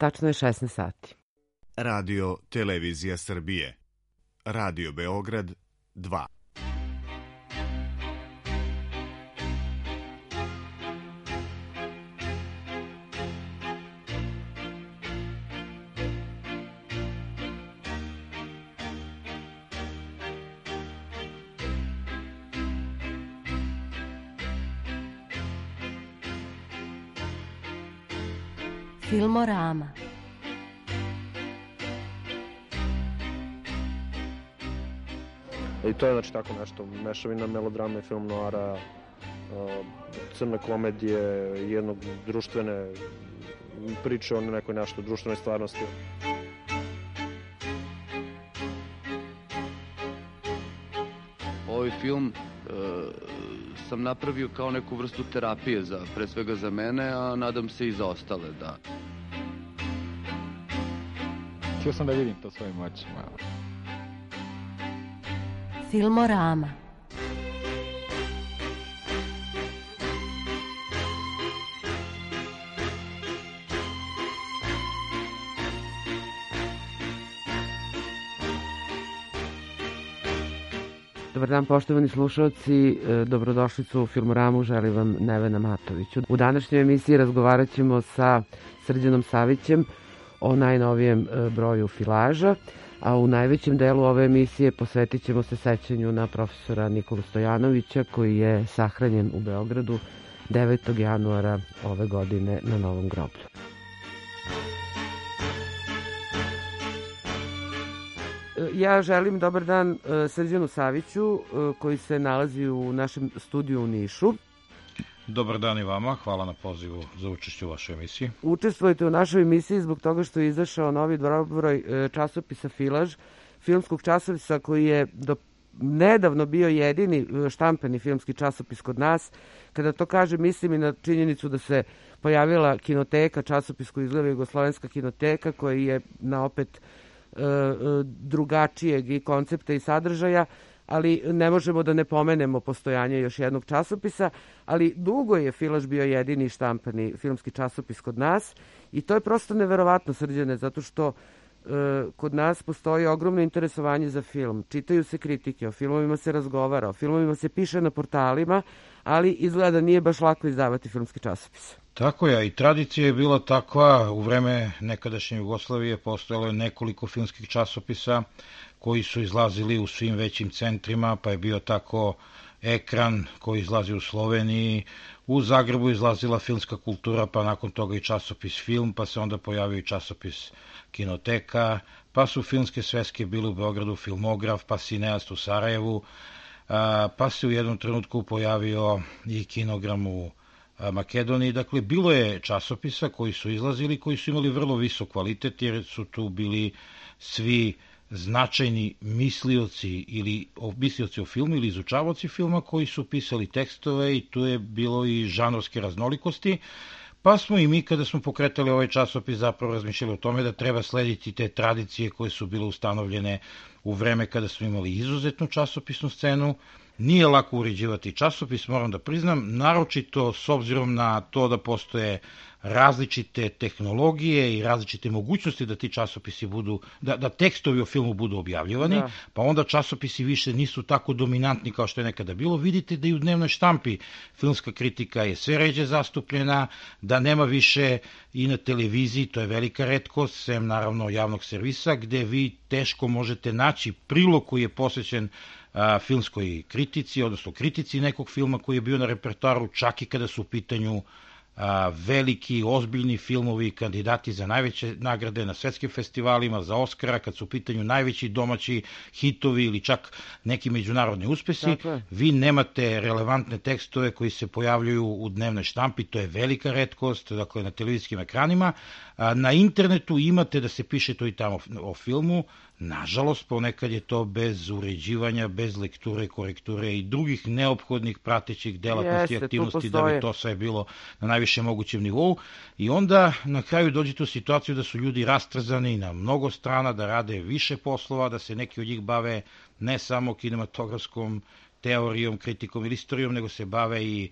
Tačno je 16 sati. Radio Televizija Srbije. Radio Beograd 2. Filmorama. I to je znači tako nešto, mešavina melodrame i film noara, crne komedije, jednog društvene priče o nekoj nešto društvenoj stvarnosti. Ovaj film sam napravio kao neku vrstu terapije, pre svega za mene, a nadam se i za ostale, da. Htio sam da vidim to svojim očima. Filmorama. Dobar dan, poštovani slušalci, dobrodošlicu u Filmoramu, želim vam Nevena Matoviću. U današnjoj emisiji razgovarat ćemo sa Srđanom Savićem o najnovijem broju Filaža, a u najvećem delu ove emisije posvetit ćemo se sećanju na profesora Nikolu Stojanovića, koji je sahranjen u Beogradu 9. januara ove godine na Novom groblju. Ja želim dobar dan Srđanu Saviću, koji se nalazi u našem studiju u Nišu. Dobar dan i vama, hvala na pozivu za učešće u vašoj emisiji. Učestvujete u našoj emisiji zbog toga što je izašao novi broj časopisa Filaž, filmskog časopisa koji je do nedavno bio jedini štampani filmski časopis kod nas. Kada to kažem, mislim i na činjenicu da se pojavila kinoteka, časopis koji izgleda Jugoslovenska kinoteka, koji je na opet drugačijeg i koncepta i sadržaja, ali ne možemo da ne pomenemo postojanje još jednog časopisa, ali dugo je Filaž bio jedini štampani filmski časopis kod nas i to je prosto neverovatno, Srđane, zato što kod nas postoji ogromno interesovanje za film. Čitaju se kritike, o filmovima se razgovara, o filmovima se piše na portalima, ali izgleda da nije baš lako izdavati filmski časopis. Tako je, i tradicija je bila takva. U vreme nekadašnje Jugoslavije postojalo je nekoliko filmskih časopisa koji su izlazili u svim većim centrima, pa je bio tako Ekran koji izlazi u Sloveniji, u Zagrebu izlazila Filmska kultura, pa nakon toga i časopis Film, pa se onda pojavio i časopis Kinoteka, pa su filmske sveske bile u Beogradu, Filmograf, pa Cineast u Sarajevu, pa se u jednom trenutku pojavio i Kinogram u Makedoniji. Dakle, bilo je časopisa koji su izlazili, koji su imali vrlo visok kvalitet, jer su tu bili svi značajni mislioci ili mislioci o filmu ili izučavaoci filma koji su pisali tekstove i tu je bilo i žanrovske raznolikosti. Pa smo i mi, kada smo pokretali ovaj časopis, zapravo razmišljali o tome da treba slediti te tradicije koje su bile ustanovljene u vreme kada smo imali izuzetnu časopisnu scenu. Nije lako uređivati časopis, moram da priznam, naročito s obzirom na to da postoje različite tehnologije i različite mogućnosti da ti časopisi budu, da tekstovi o filmu budu objavljivani, da. Pa onda časopisi više nisu tako dominantni kao što je nekada bilo. Vidite da i u dnevnoj štampi filmska kritika je sve ređe zastupljena, da nema više i na televiziji, to je velika retkost, sem naravno javnog servisa, gde vi teško možete naći prilog koji je posvećen filmskoj kritici, odnosno kritici nekog filma koji je bio na repertoaru, čak i kada su u pitanju veliki, ozbiljni filmovi, kandidati za najveće nagrade na svetskim festivalima, za Oskara, kad su u pitanju najveći domaći hitovi ili čak neki međunarodni uspesi, vi nemate relevantne tekstove koji se pojavljuju u dnevnoj štampi, to je velika retkost, dakle na televizijskim ekranima. Na internetu imate da se piše to i tamo o filmu, nažalost ponekad je to bez uređivanja, bez lekture, korekture i drugih neophodnih pratećih delatnosti i aktivnosti da bi to sve bilo na najviše mogućem nivou i onda na kraju dođete u situaciju da su ljudi rastrzani na mnogo strana, da rade više poslova, da se neki od njih bave ne samo kinematografskom teorijom, kritikom ili istorijom, nego se bave i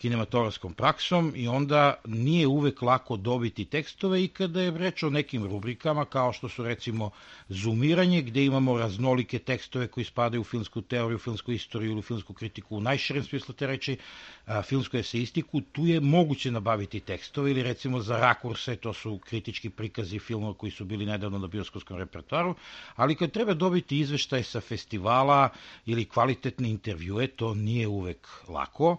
kinematografskom praksom i onda nije uvek lako dobiti tekstove i kada je reč o nekim rubrikama kao što su recimo zoomiranje gde imamo raznolike tekstove koji spadaju u filmsku teoriju, filmsku istoriju ili filmsku kritiku u najširem smislu te reči, filmsku eseistiku, tu je moguće nabaviti tekstove ili recimo za rakurse, to su kritički prikazi filmova koji su bili nedavno na bioskopskom repertoaru, ali kad treba dobiti izveštaj sa festivala ili kvalitetne intervjue, to nije uvek lako.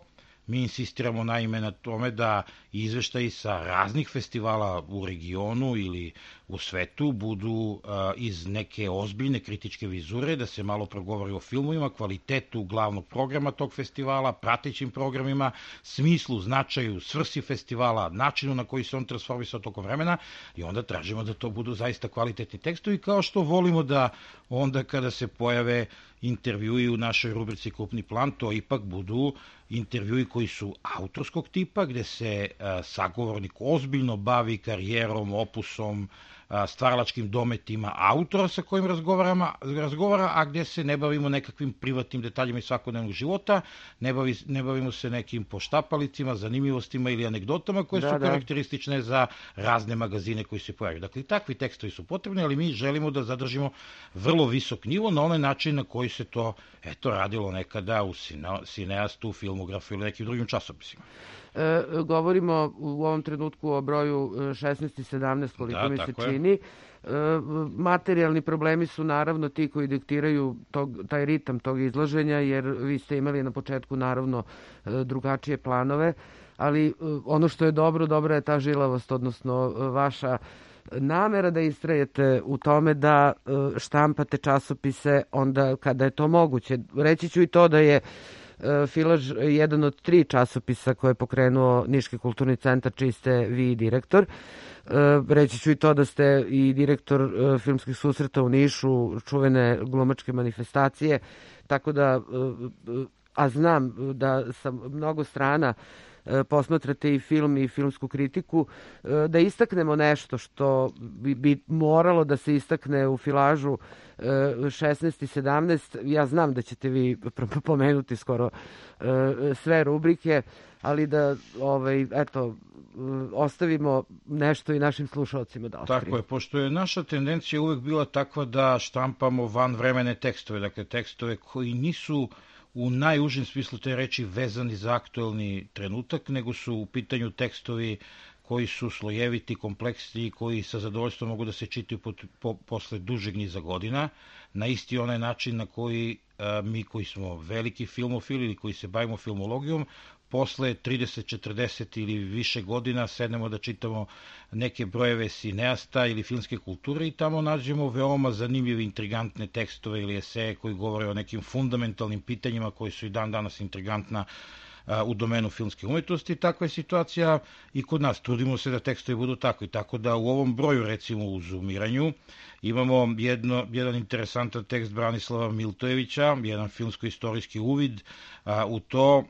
Mi insistiramo naime na tome da izveštaji sa raznih festivala u regionu ili u svetu budu iz neke ozbiljne kritičke vizure, da se malo progovori o filmovima, kvalitetu glavnog programa tog festivala, pratećim programima, smislu, značaju, svrsi festivala, načinu na koji se on transformisao tokom vremena i onda tražimo da to budu zaista kvalitetni tekstovi, kao što volimo da onda kada se pojave intervjui u našoj rubrici Krupni plan, to ipak budu intervjui koji su autorskog tipa, gde se sagovornik ozbiljno bavi karijerom, opusom, stvaralačkim dometima autora sa kojim razgovara, a gde se ne bavimo nekakvim privatnim detaljima iz svakodnevnog života, ne bavimo se nekim poštapalicima, zanimljivostima ili anegdotama koje su karakteristične za razne magazine koji se pojavljaju. Dakle, takvi tekstovi su potrebni, ali mi želimo da zadržimo vrlo visok nivo na onaj način na koji se to radilo nekada u Cineastu, Filmografu ili nekim drugim časopisima. Govorimo u ovom trenutku o broju 16 i 17, koliko mi se čini. Materijalni problemi su naravno ti koji diktiraju taj ritam tog izlaženja, jer vi ste imali na početku naravno drugačije planove, ali ono što je dobra je ta žilavost, odnosno vaša namera da istrajete u tome da štampate časopise onda kada je to moguće. Reći ću i to da je Filaž jedan od 3 časopisa koje je pokrenuo Niški kulturni centar, čiji ste vi direktor. Reći ću i to da ste i direktor filmskih susreta u Nišu, čuvene glumačke manifestacije, tako da, a znam da sa mnogo strana posmatrate i film i filmsku kritiku, da istaknemo nešto što bi moralo da se istakne u Filažu 16 i 17. Ja znam da ćete vi pomenuti skoro sve rubrike, ali da ostavimo nešto i našim slušalcima da otkriju. Tako je, pošto je naša tendencija uvek bila takva da štampamo vanvremene tekstove, dakle tekstove koji nisu u najužem smislu te reči vezani za aktuelni trenutak, nego su u pitanju tekstovi koji su slojeviti, kompleksni, koji sa zadovoljstvom mogu da se čitaju posle dužeg niza godina, na isti onaj način na koji mi koji smo veliki filmofili ili koji se bavimo filmologijom, posle 30, 40 ili više godina sednemo da čitamo neke brojeve Cineasta ili filmske kulture i tamo nađemo veoma zanimljive, intrigantne tekstove ili eseje koji govore o nekim fundamentalnim pitanjima koji su i dan danas intrigantna u domenu filmske umetnosti. Takva je situacija i kod nas. Trudimo se da tekstovi budu takvi. Tako da u ovom broju, recimo u zoomiranju, imamo jedan interesantan tekst Branislava Miltojevića, jedan filmsko-istorijski uvid u to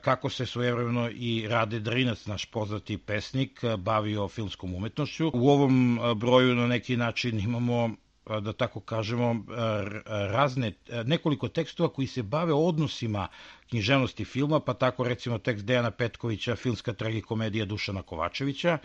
kako se svojevremeno i Rade Drinac, naš poznati pesnik, bavio filmskom umetnošću. U ovom broju na neki način imamo, da tako kažemo, nekoliko tekstova koji se bave odnosima književnosti filma, pa tako recimo tekst Dejana Petkovića, filmska tragikomedija Dušana Kovačevića.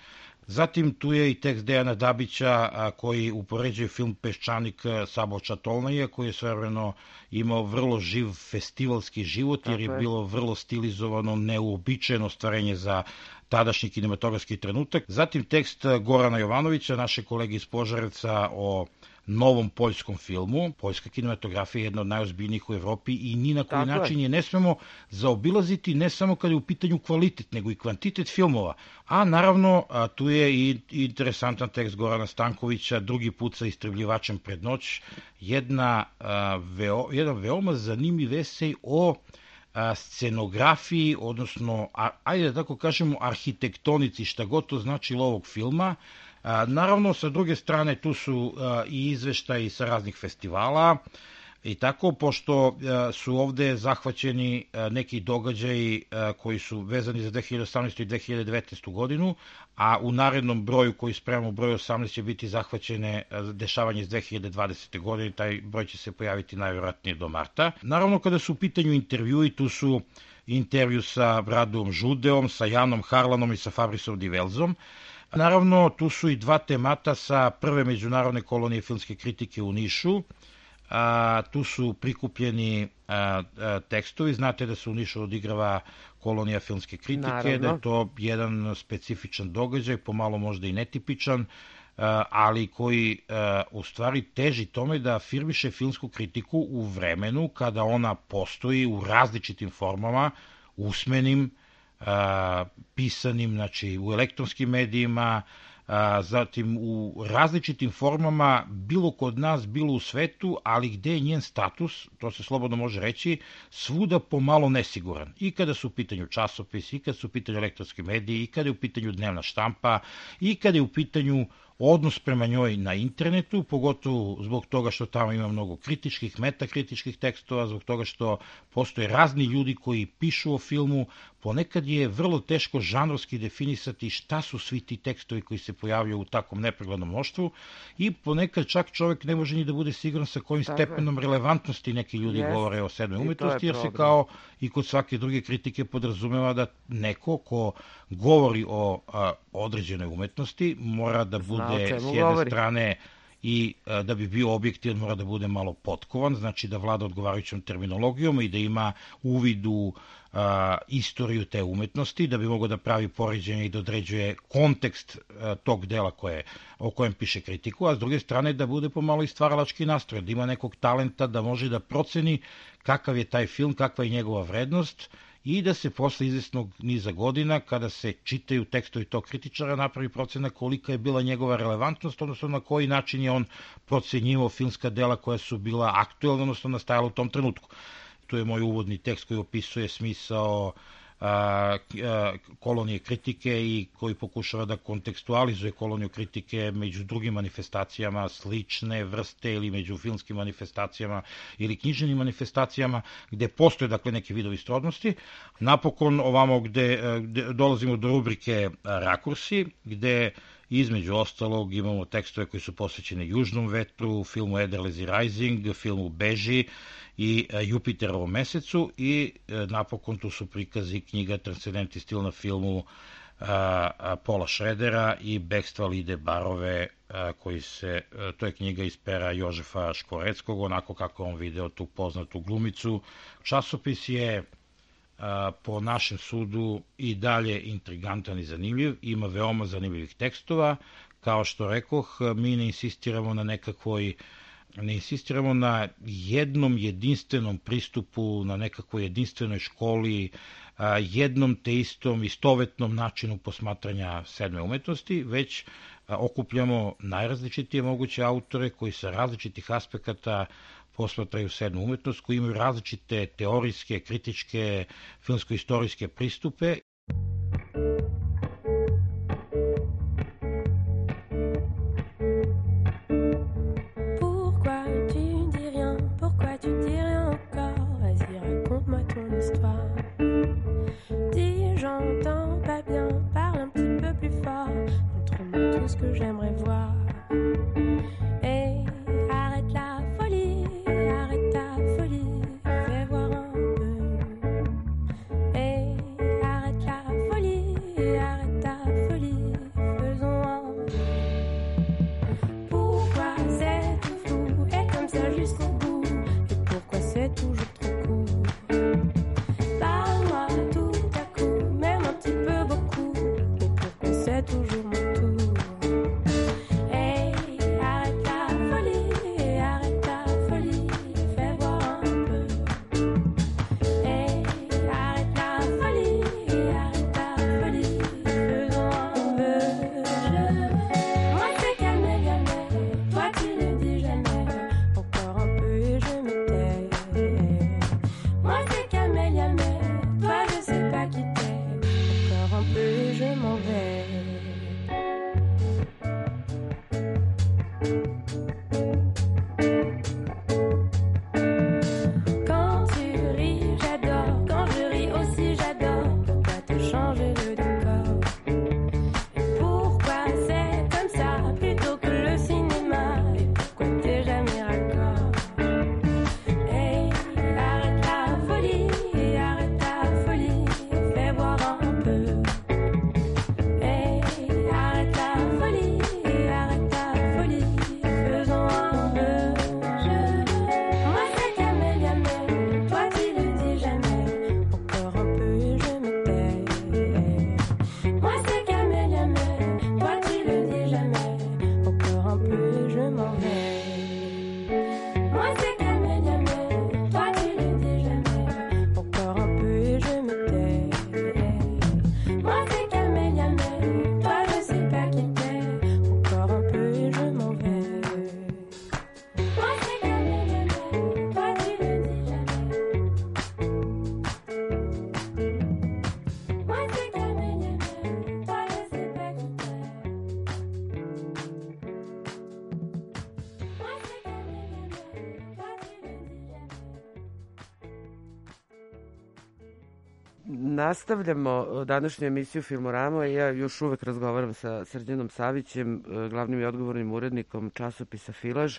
Zatim tu je i tekst Dejana Dabića koji upoređuje film Peščanik Saboča Tolnaje, koji je svojevremeno imao vrlo živ festivalski život, jer je bilo vrlo stilizovano, neuobičajeno stvarenje za tadašnji kinematografski trenutak. Zatim tekst Gorana Jovanovića, naše kolege iz Požarevca, o novom poljskom filmu. Poljska kinematografija je jedna od najozbiljnijih u Evropi i ni na koji način je ne smemo zaobilaziti, ne samo kada je u pitanju kvalitet, nego i kvantitet filmova. A naravno, tu je i interesantan tekst Gorana Stankovića, Drugi put sa istrebljivačem pred noć, jedan veoma zanimljiv esej o scenografiji, odnosno, ajde da tako kažemo, arhitektonici, šta god to značilo ovog filma. Naravno, sa druge strane, tu su i izveštaji sa raznih festivala i tako, pošto su ovde zahvaćeni neki događaji koji su vezani za 2018. i 2019. godinu, a u narednom broju koji spremamo, broj 18, će biti zahvaćene dešavanje iz 2020. godine, taj broj će se pojaviti najvjerojatnije do marta. Naravno, kada su u pitanju intervjui, tu su intervju sa Bradom Žudeom, sa Janom Harlanom i sa Fabrisom Divelzom. Naravno, tu su i dva temata sa prve međunarodne kolonije filmske kritike u Nišu. Tu su prikupljeni tekstovi. Znate da se u Nišu odigrava kolonija filmske kritike, naravno, da je to jedan specifičan događaj, pomalo možda i netipičan, ali koji u stvari teži tome da afirmiše filmsku kritiku u vremenu kada ona postoji u različitim formama, usmenim, pisanim, znači u elektronskim medijima, zatim u različitim formama, bilo kod nas, bilo u svetu, ali gde je njen status, to se slobodno može reći, svuda pomalo nesiguran. I kada su u pitanju časopisi, i kada su u pitanju elektronski mediji, i kada je u pitanju dnevna štampa, i kada je u pitanju odnos prema njoj na internetu, pogotovo zbog toga što tamo ima mnogo kritičkih, metakritičkih tekstova, zbog toga što postoje razni ljudi koji pišu o filmu. Ponekad je vrlo teško žanrovski definisati šta su svi ti tekstovi koji se pojavljaju u takvom nepreglednom mnoštvu i ponekad čak čovjek ne može ni da bude siguran sa kojim stepenom relevantnosti neki ljudi govore o sedmoj umetnosti, jer se kao i kod svake druge kritike podrazumeva da neko ko govori o određenoj umetnosti mora da bude s jedne strane i da bi bio objektivan mora da bude malo potkovan, znači da vlada odgovarajućom terminologijom i da ima uvid u istoriju te umetnosti, da bi mogao da pravi poređenje i da određuje kontekst tog dela o kojem piše kritiku, a s druge strane da bude pomalo i stvaralački nastrojen, da ima nekog talenta da može da proceni kakav je taj film, kakva je njegova vrednost i da se posle izvesnog niza godina, kada se čitaju tekstovi tog kritičara, napravi procena kolika je bila njegova relevantnost, odnosno na koji način je on procenjivao filmska dela koja su bila aktuelna, odnosno nastajala u tom trenutku. Tu je moj uvodni tekst koji opisuje smisao kolonije kritike i koji pokušava da kontekstualizuje koloniju kritike među drugim manifestacijama slične vrste ili među filmskim manifestacijama ili književnim manifestacijama gde postoje dakle neke vidovi srodnosti. Napokon ovamo gde dolazimo do rubrike Rakursi, gde između ostalog imamo tekstove koji su posvećeni Južnom vetru, filmu Ederlezi Rising, filmu Beži i Jupiterovom mesecu i napokon tu su prikazi knjiga Transcendentni stil na filmu Paula Schroedera i Bekstva Lide Barove, to je knjiga iz pera Jožefa Škvoreckog, onako kako on video tu poznatu glumicu. Časopis je po našem sudu i dalje intrigantan i zanimljiv, ima veoma zanimljivih tekstova, kao što rekoh, mi ne insistiramo na jednom jedinstvenom pristupu, na nekakvoj jedinstvenoj školi, jednom te istom istovetnom načinu posmatranja sedme umetnosti, već okupljamo najrazličitije moguće autore koji sa različitih aspekata posmatraju sedmu umetnost, koji imaju različite teorijske, kritičke, filmsko-istorijske pristupe. Toujours mon tour. Nastavljamo današnju emisiju Filmorama i ja još uvek razgovaram sa Srđanom Savićem, glavnim i odgovornim urednikom časopisa Filaž.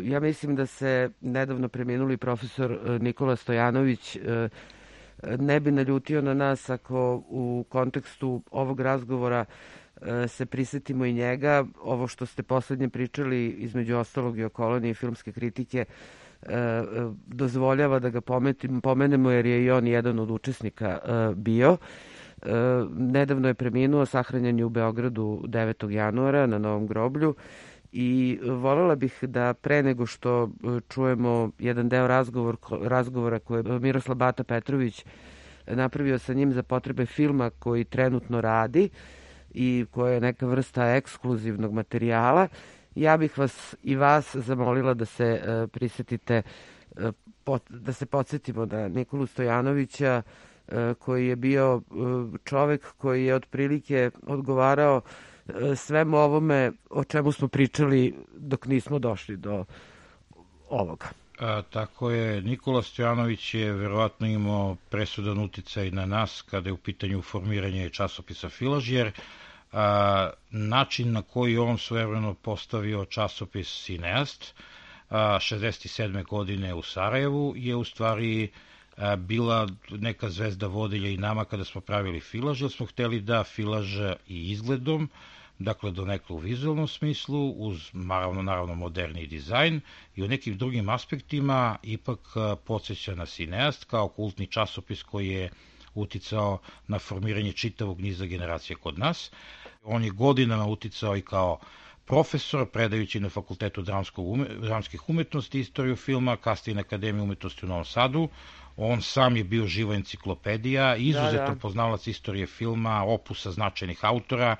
Ja mislim da se nedavno preminuli profesor Nikola Stojanović ne bi naljutio na nas ako u kontekstu ovog razgovora se prisetimo i njega. Ovo što ste poslednje pričali, između ostalog i o koloniji filmske kritike, dozvoljava da ga pomenemo jer je i on jedan od učesnika bio. Nedavno je preminuo, sahranjen je u Beogradu 9. januara na Novom groblju i voljela bih da pre nego što čujemo jedan deo razgovora koje je Miroslav Bata Petrović napravio sa njim za potrebe filma koji trenutno radi i koja je neka vrsta ekskluzivnog materijala, ja bih vas zamolila da se prisetite, da se podsjetimo na Nikolu Stojanovića, koji je bio čovek koji je otprilike odgovarao svemu ovome o čemu smo pričali dok nismo došli do ovoga. Tako je, Nikola Stojanović je verovatno imao presudan uticaj na nas kada je u pitanju formiranje časopisa Filaž, jer način na koji on svojevremeno postavio časopis Cineast 67. godine u Sarajevu je u stvari bila neka zvezda vodilja i nama kada smo pravili Filaž, jer smo hteli da Filaž i izgledom, dakle donekle u vizualnom smislu, uz naravno moderni dizajn i u nekim drugim aspektima ipak podsjeća na Cineast kao kultni časopis koji je uticao na formiranje čitavog niza generacija kod nas. On je godinama uticao i kao profesor, predajući na Fakultetu dramskih umetnosti istoriju filma, kasnije na Akademiji umetnosti u Novom Sadu. On sam je bio živa enciklopedija, izuzetan poznavalac istorije filma, opusa značajnih autora.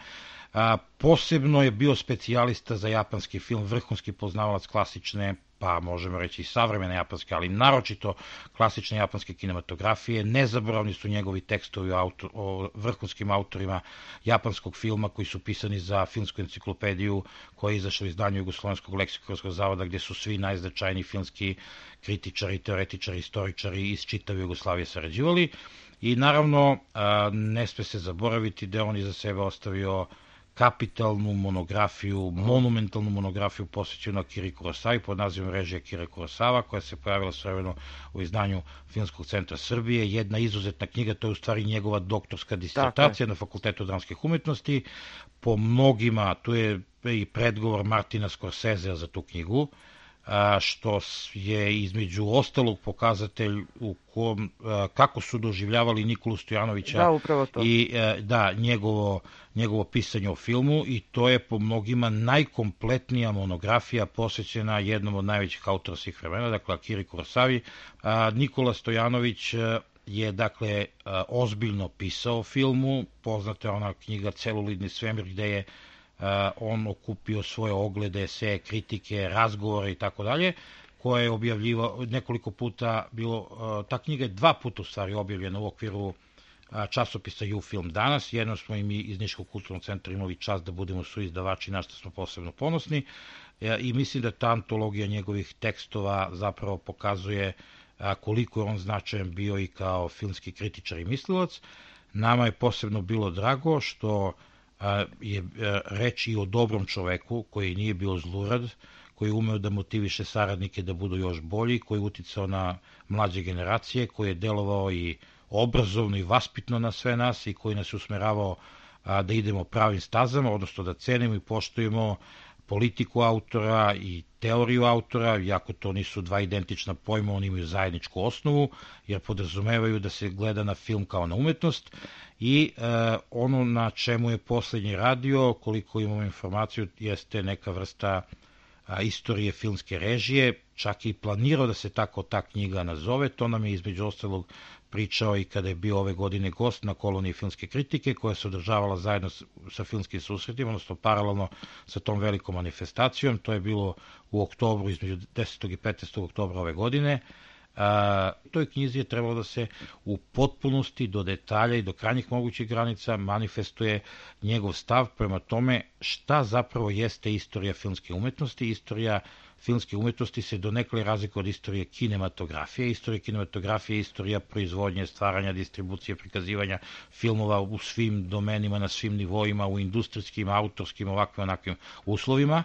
Posebno je bio specijalista za japanski film, vrhunski poznavalac klasične, pa možemo reći i savremene japanske, ali naročito klasične japanske kinematografije. Nezaboravni su njegovi tekstovi o vrhunskim autorima japanskog filma koji su pisani za filmsku enciklopediju koja je izašla u izdanju Jugoslovenskog leksikonskog zavoda, gdje su svi najznačajniji filmski kritičari, teoretičari, istoričari iz čitave Jugoslavije sarađivali. I naravno, ne sme se zaboraviti da on iza sebe ostavio kapitalnu monografiju, monumentalnu monografiju posvećenu Akiri Kurosavi pod nazivom Režija Akira Kurosawa, koja se pojavila svojevremeno u izdanju Filmskog centra Srbije. Jedna izuzetna knjiga, to je u stvari njegova doktorska disertacija na Fakultetu dramskih umetnosti. Po mnogima, tu je i predgovor Martina Scorsesea za tu knjigu, što je između ostalog pokazatelj u kom, kako su doživljavali Nikolu Stojanovića i njegovo pisanje o filmu, i to je po mnogima najkompletnija monografija posvećena jednom od najvećih autora svih vremena, dakle Akiri Kurosavi. Nikola Stojanović je dakle ozbiljno pisao o filmu, poznata je ona knjiga Celulidni svemir gde je on okupio svoje oglede, eseje, kritike, razgovore i tako dalje, koje je objavljivao nekoliko puta, ta knjiga je 2 puta u stvari objavljena u okviru časopisa U-Film danas. Jednom smo i mi iz Niškog kulturnog centra imali čast da budemo suizdavači, na što smo posebno ponosni, i mislim da ta antologija njegovih tekstova zapravo pokazuje koliko je on značajan bio i kao filmski kritičar i mislilac. Nama je posebno bilo drago što je reč i o dobrom čoveku koji nije bio zlurad, koji je umeo da motiviše saradnike da budu još bolji, koji je uticao na mlađe generacije, koji je delovao i obrazovno i vaspitno na sve nas i koji nas je usmeravao da idemo pravim stazama, odnosno da cenimo i poštujemo politiku autora i teoriju autora, iako to nisu 2 identična pojma, oni imaju zajedničku osnovu, jer podrazumevaju da se gleda na film kao na umetnost. I ono na čemu je poslednji radio, koliko imamo informaciju, jeste neka vrsta istorije filmske režije, čak i planirao da se tako ta knjiga nazove. To nam je između ostalog pričao i kada je bio ove godine gost na koloniji filmske kritike, koja se održavala zajedno sa filmskim susretima, odnosno paralelno sa tom velikom manifestacijom. To je bilo u oktobru, između 10. i 15. oktobra ove godine. Toj knjizi je trebalo da se u potpunosti, do detalja i do krajnjih mogućih granica manifestuje njegov stav prema tome šta zapravo jeste istorija filmske umetnosti, istorija filmske umetnosti se donekle razlikuje od istorije kinematografije. Istorija kinematografije je istorija proizvodnje, stvaranja, distribucije, prikazivanja filmova u svim domenima, na svim nivoima, u industrijskim, autorskim, ovakvim, onakvim uslovima,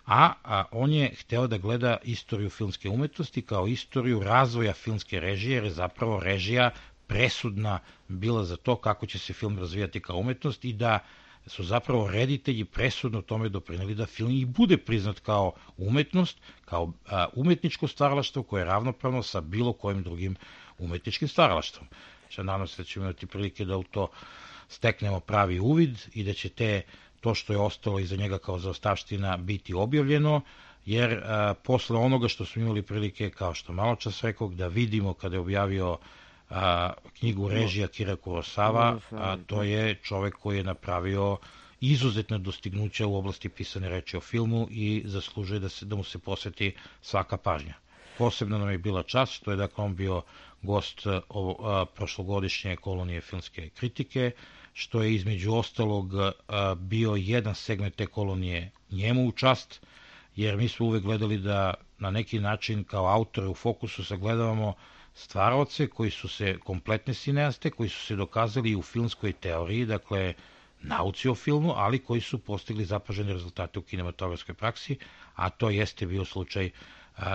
a on je hteo da gleda istoriju filmske umetnosti kao istoriju razvoja filmske režije, jer je zapravo režija presudna bila za to kako će se film razvijati kao umetnost i da su zapravo reditelji presudno tome doprineli da film i bude priznat kao umetnost, kao umetničko stvaralaštvo koje je ravnopravno sa bilo kojim drugim umetničkim stvaralaštvom. Nadam se da ćemo imati prilike da u to steknemo pravi uvid i da će to što je ostalo iza njega kao zaostavština biti objavljeno, jer posle onoga što smo imali prilike, kao što malo čas rekao, da vidimo kada je objavio knjigu režija Akira Kurosawa, a to je čovek koji je napravio izuzetne dostignuća u oblasti pisane reči o filmu i zaslužuje da mu se posveti svaka pažnja. Posebno nam je bila čast što je dakle on bio gost prošlogodišnje kolonije filmske kritike, što je između ostalog bio jedan segment te kolonije njemu u čast, jer mi smo uvek gledali da na neki način kao autore u fokusu sagledavamo stvaraoce koji su se kompletne cineaste, koji su se dokazali i u filmskoj teoriji, dakle nauci o filmu, ali koji su postigli zapažene rezultate u kinematografskoj praksi, a to jeste bio slučaj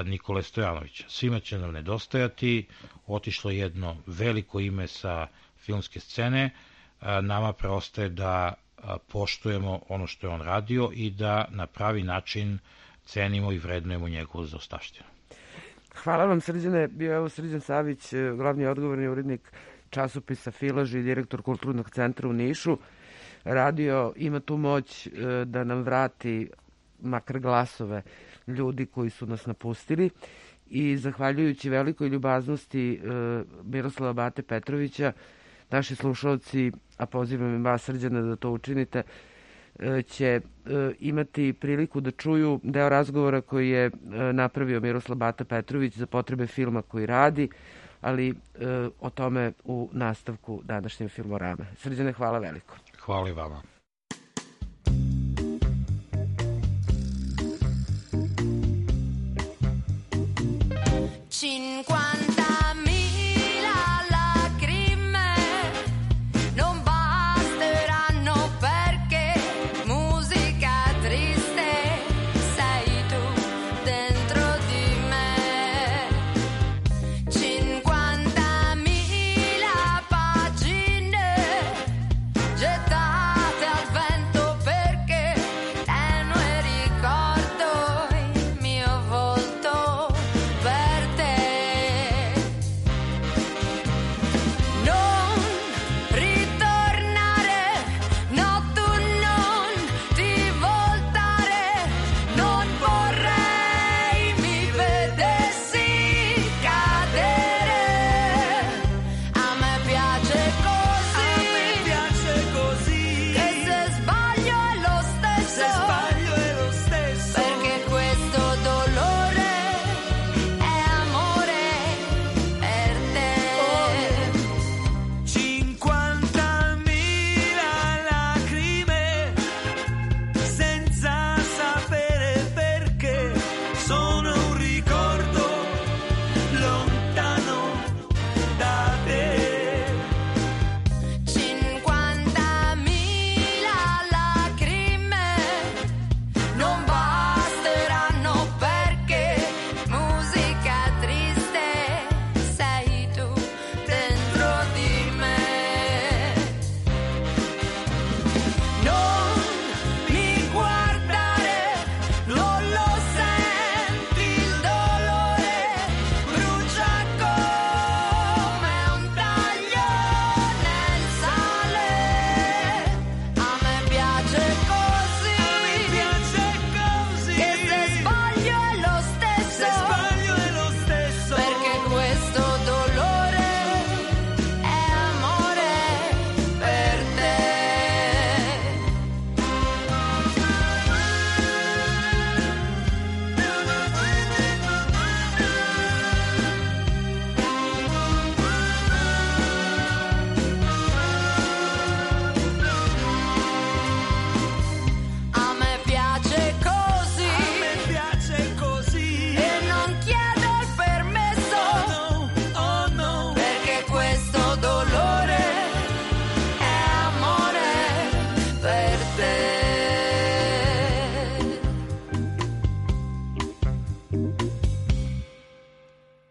Nikole Stojanovića. Svima će nam nedostajati, otišlo jedno veliko ime sa filmske scene, nama preostaje da poštujemo ono što je on radio i da na pravi način cenimo i vrednujemo njegovu zaostavštinu. Hvala vam, Srđane. Bio je Srđan Savić, glavni odgovorni urednik časopisa Filaž i direktor Kulturnog centra u Nišu. Radio ima tu moć da nam vrati makar glasove ljudi koji su nas napustili i zahvaljujući velikoj ljubaznosti Miroslava Bate Petrovića, naši slušalci, a pozivam i vas, Srđana, da to učinite, će imati priliku da čuju deo razgovora koji je napravio Miroslav Bata Petrović za potrebe filma koji radi, ali o tome u nastavku današnje Filmorame. Srđane, hvala veliko. Hvala i vama. Gettate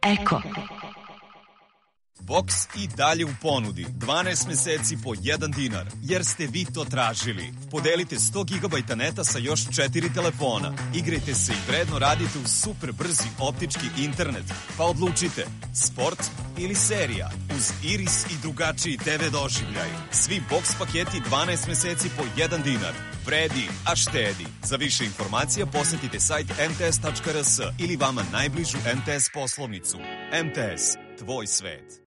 Eko. Boks i dalje u ponudi. 12 meseci po 1 dinar, jer ste vi to tražili. Podelite 100 GB neta sa još 4 telefona. Igrajte se i vredno radite u super brzi optički internet. Pa odlučite, sport ili serija. Uz Iris i drugačiji TV doživljaj. Svi boks paketi 12 meseci po 1 dinar. Vredi, a štedi. Za više informacija posetite sajt mts.rs ili vama najbližu MTS poslovnicu. MTS, tvoj svet.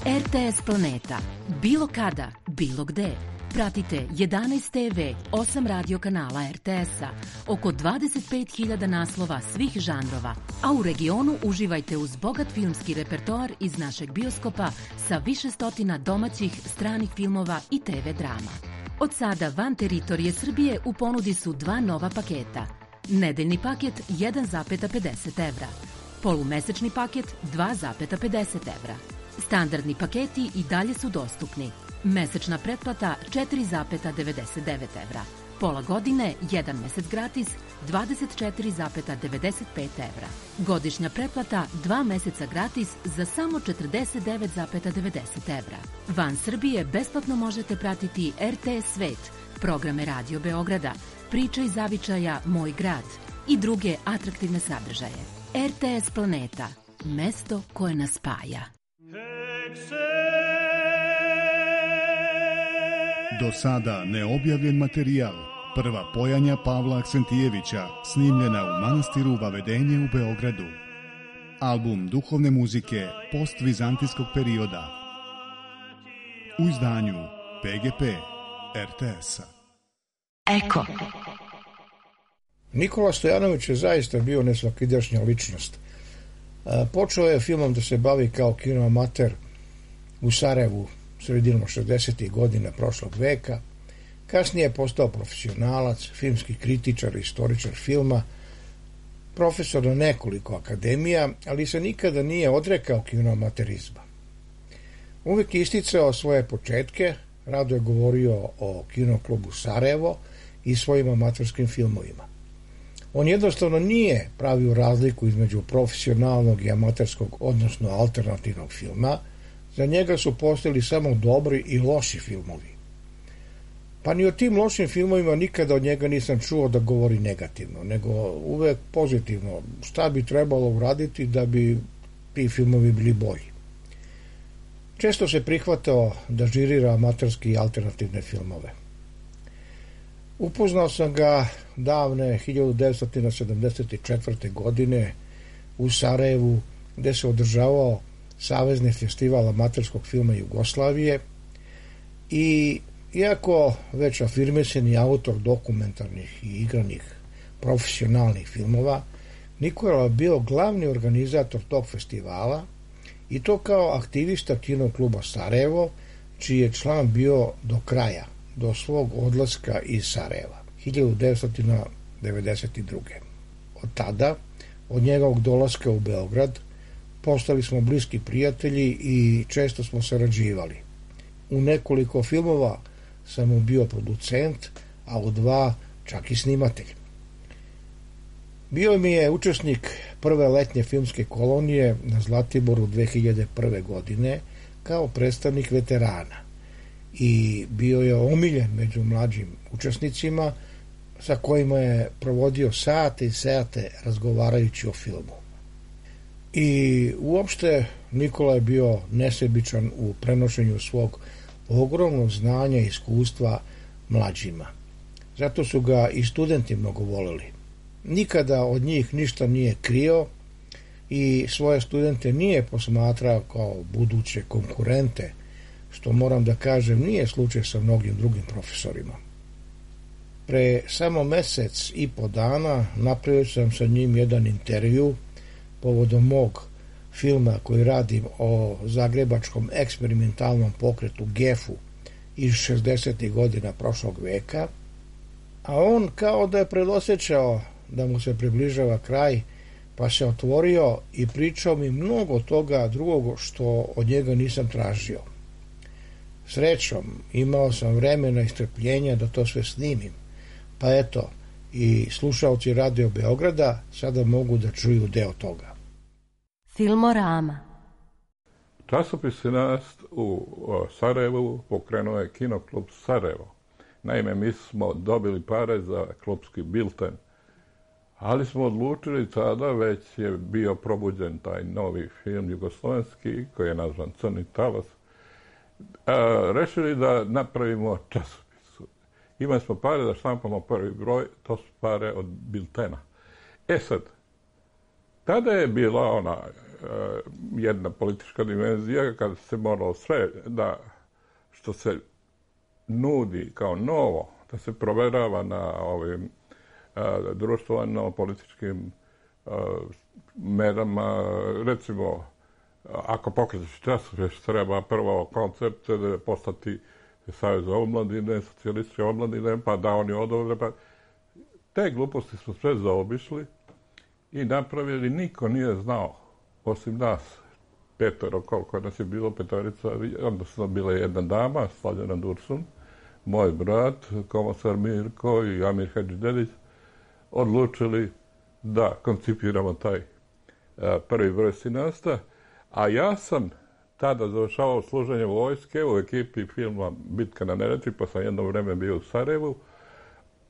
RTS Planeta. Bilo kada, bilo gde. Pratite 11 TV, 8 radio kanala RTS-a, oko 25.000 naslova svih žanrova, a u regionu uživajte uz bogat filmski repertoar iz našeg bioskopa sa više stotina domaćih, stranih filmova i TV drama. Od sada van teritorije Srbije u ponudi su 2 nova paketa. Nedeljni paket 1,50 evra. Polumesečni paket 2,50 evra. Standardni paketi i dalje su dostupni. Mesečna pretplata 4,99 evra. Pola godine, 1 mesec gratis, 24,95 evra. Godišnja pretplata 2 meseca gratis za samo 49,90 evra. Van Srbije besplatno možete pratiti RTS Svet, programe Radio Beograda, Priče iz zavičaja Moj grad i druge atraktivne sadržaje. RTS Planeta, mesto koje nas spaja. Do sada neobjavljen materijal. Prva pojanja Pavla Aksentijevića, snimljena u manastiru Vavedenje u Beogradu. Album duhovne muzike postvizantijskog perioda. U izdanju PGP RTS-a. Eko. Nikola Stojanović je zaista bio nesvakidašnja ličnost. Počeo je filmom da se bavi kao kinoamater u Sarajevu sredinom 60. godina prošlog veka. Kasnije je postao profesionalac, filmski kritičar, istoričar filma, profesor na nekoliko akademija, ali se nikada nije odrekao kinoamaterizma. Uvijek je isticao svoje početke, rado je govorio o kinoklubu Sarajevo i svojim amaterskim filmovima. On jednostavno nije pravio razliku između profesionalnog i amaterskog, odnosno alternativnog filma. Za njega su postojali samo dobri i loši filmovi. Pa ni o tim lošim filmovima nikada od njega nisam čuo da govori negativno, nego uvek pozitivno. Šta bi trebalo uraditi da bi ti filmovi bili bolji. Često se prihvatao da žirira amaterski i alternativne filmove. Upoznao sam ga davne 1974. godine u Sarajevu, gde se održavao Savezni festival amaterskog filma Jugoslavije i iako već afirmisani autor dokumentarnih i igranih profesionalnih filmova, Nikola je bio glavni organizator tog festivala i to kao aktivista kinokluba Sarajevo, čiji je član bio do kraja, do svog odlaska iz Sarajeva, 1992. Od tada, od njegovog dolaska u Beograd, postali smo bliski prijatelji i često smo sarađivali. U nekoliko filmova sam mu bio producent, a u 2 čak i snimatelj. Bio mi je učesnik prve letnje filmske kolonije na Zlatiboru 2001. godine kao predstavnik veterana i bio je omiljen među mlađim učesnicima sa kojima je provodio sate i sate razgovarajući o filmu. I uopšte Nikola je bio nesebičan u prenošenju svog ogromnog znanja i iskustva mlađima. Zato su ga i studenti mnogo voleli. Nikada od njih ništa nije krio i svoje studente nije posmatrao kao buduće konkurente, što moram da kažem nije slučaj sa mnogim drugim profesorima. Pre samo mesec i po dana napravio sam sa njim jedan intervju povodom mog filma koji radim o zagrebačkom eksperimentalnom pokretu GEF-u iz 60. godina prošlog veka, a on kao da je predosjećao da mu se približava kraj, pa se otvorio i pričao mi mnogo toga drugog što od njega nisam tražio. Srećom, imao sam vremena i strpljenja da to sve snimim, pa eto, i slušaoci Radio Beograda sada mogu da čuju deo toga. Filmorama. Časopis Sinast u Sarajevu pokrenuo je Kinoklub Sarajevo. Naime, mi smo dobili pare za klubski bilten, ali smo odlučili tada, već je bio probuđen taj novi film jugoslovenski koji je nazvan Crni talas, rešili da napravimo časopis. Imali smo pare da štampamo prvi broj, to su pare od biltena. Sad, tada je bila ona jedna politička dimenzija kada se moralo sve da što se nudi kao novo, da se proverava na ovim društveno-političkim merama. Recimo, ako pokrećeš časopis, treba prvo koncept postati Savez za omladine, socijalističke omladine, pa da oni odobre. Pa te gluposti smo sve zaobišli i napravili, niko nije znao, osim nas, petoro, koliko nas je bilo, petorica, onda su bila jedna dama, Slađana Dursun, moj brat, komosar Mirko i Amir Hadžidelić, odlučili da koncipiramo taj prvi broj Sinasta, a ja sam tada završavao služenje vojske u ekipi filma Bitka na Neretvi, pa sam jedno vreme bio u Sarajevu,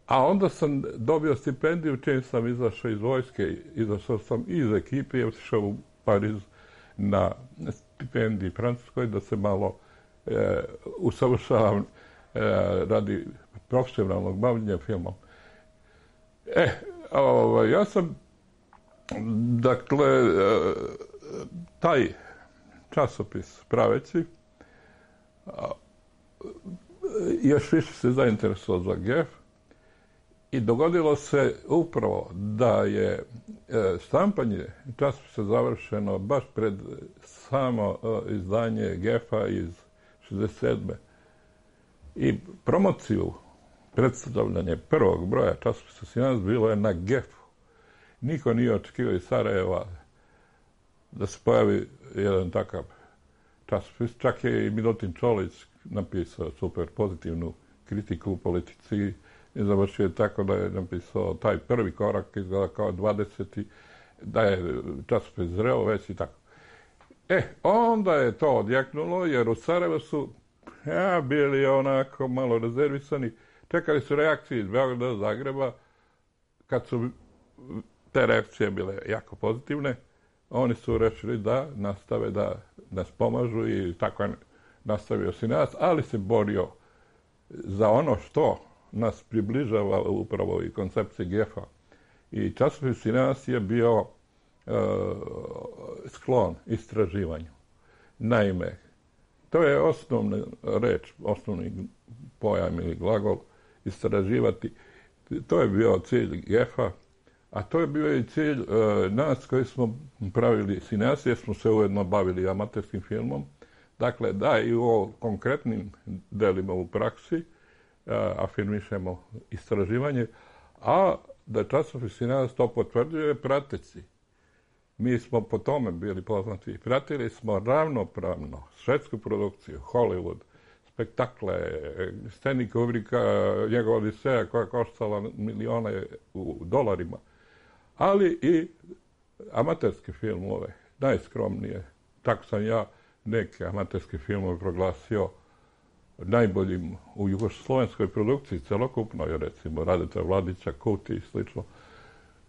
a onda sam dobio stipendiju čim sam izašao iz vojske, izašao sam iz ekipe i otišao u Pariz na stipendiji Francuskoj da se malo usavršavam radi profesionalnog bavljenja filmom. Ja sam, dakle, taj časopis praveći još više se zainteresovao za GEF i dogodilo se upravo da je štampanje časopisa završeno baš pred samo izdanje GEF-a iz 67. I promociju, predstavljanje prvog broja časopisa Sinast bilo je na GEF-u. Niko nije očekivao iz Sarajeva da se pojavi jedan takav časopis. Čak je i Milutin Čolić napisao super pozitivnu kritiku u politici i završio je tako da je napisao taj prvi korak izgleda kao 20. da je časopis zreo već i tako. Onda je to odjeknulo jer u Sarajevu su bili onako malo rezervisani. Čekali su reakcije iz Beograda, Zagreba. Kad su te reakcije bile jako pozitivne, oni su rešili da nastave da nas pomažu i tako je nastavio Sinast, ali se borio za ono što nas približava upravo i koncepcije GEF-a. I časopis Sinast je bio sklon istraživanju. Naime, to je osnovna reč, osnovni pojam ili glagol, istraživati. To je bio cilj GEF-a, a to je bio i cilj nas koji smo pravili Sinast, jer smo se ujedno bavili amaterskim filmom. Dakle, da i u konkretnim delima u praksi afirmišemo istraživanje, a da časopis Sinast to potvrđuje prateći. Mi smo po tome bili poznati. Pratili smo ravnopravno švedsku produkciju, Hollywood, spektakle, Stanley Kubricka, njegova Odiseja koja je koštala milione u dolarima, ali i amaterske filmove, najskromnije. Tako sam ja neke amaterske filmove proglasio najboljim u jugoslovenskoj produkciji, celokupnoj, recimo Radeta Vladića, Kuti i slično.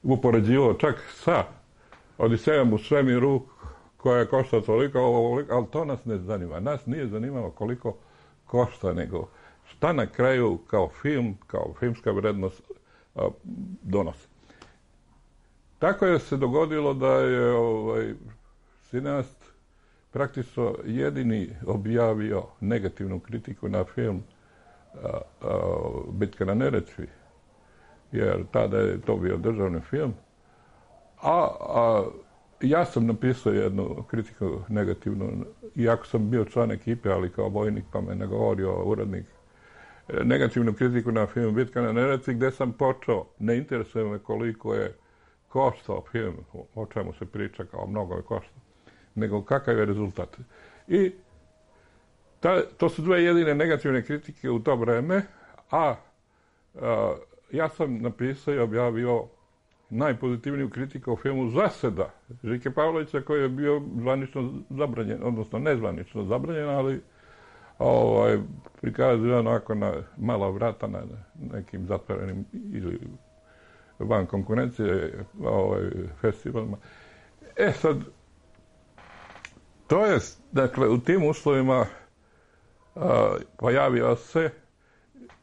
Upoređivao čak sa Odisejom u svemiru koja košta toliko, ali to nas ne zanima. Nas nije zanimalo koliko košta, nego šta na kraju kao film, kao filmska vrednost donosi. Tako je se dogodilo da je Sinast praktično jedini objavio negativnu kritiku na film Bitka na Neretvi, jer tada je to bio državni film. A ja sam napisao jednu kritiku negativnu, iako sam bio član ekipe, ali kao vojnik, pa me nagovorio urednik, negativnu kritiku na film Bitka na Neretvi, gde sam počeo, ne interesuje me koliko je koštao film, o čemu se priča, kao mnogo je koštao, nego kakav je rezultat. I to su dve jedine negativne kritike u to vreme, a ja sam napisao i objavio najpozitivniju kritiku o filmu Zaseda Žike Pavlovića, koji je bio zvanično zabranjen, odnosno nezvanično zabranjen, ali prikazuje onako na mala vrata na nekim zatvorenim ili van konkurencije festivalima. Sad, to je, dakle, u tim uslovima pojavio se,